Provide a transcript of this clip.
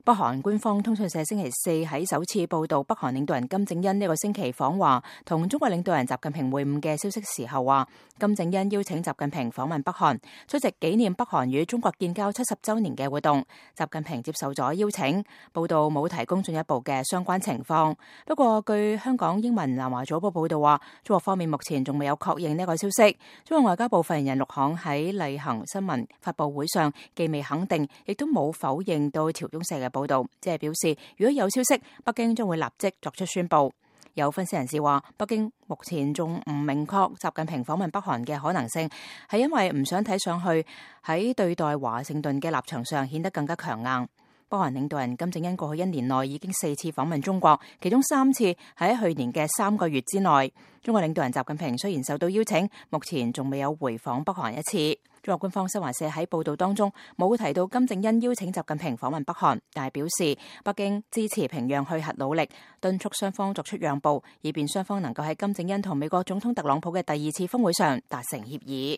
北韓官方通訊社星期四喺首次報道北韓領導人金正恩呢個星期訪華同中國領導人習近平會晤嘅消息時候話，金正恩邀請習近平訪問北韓，出席紀念北韓與中國建交70週年嘅活動。習近平接受咗邀請，報道冇提供進一步嘅相關情況。不過據香港英文南華早報報道話，中國方面目前仲未有確認呢個消息。中國外交部發言人陸慷喺例行新聞發佈會上既未肯定，亦都冇否認到朝中社嘅報道，即係表示如果有消息，北京將會立即作出宣佈。有分析人士話，北京目前仲唔明確習近平訪問北韓嘅可能性，係因為唔想睇上去喺對待華盛頓嘅立場上顯得更加強硬。北韓領導人金正恩過去1年內已經4次訪問中國，其中3次係喺去年嘅3個月之內。中國領導人習近平雖然受到邀請，目前仲未有回訪北韓一次。中國官方新華社喺報道當中冇提到金正恩邀請習近平訪問北韓，但係表示北京支持平壤去核努力，敦促雙方作出讓步，以便雙方能夠喺金正恩同美國總統特朗普嘅第2次峰會上達成協議。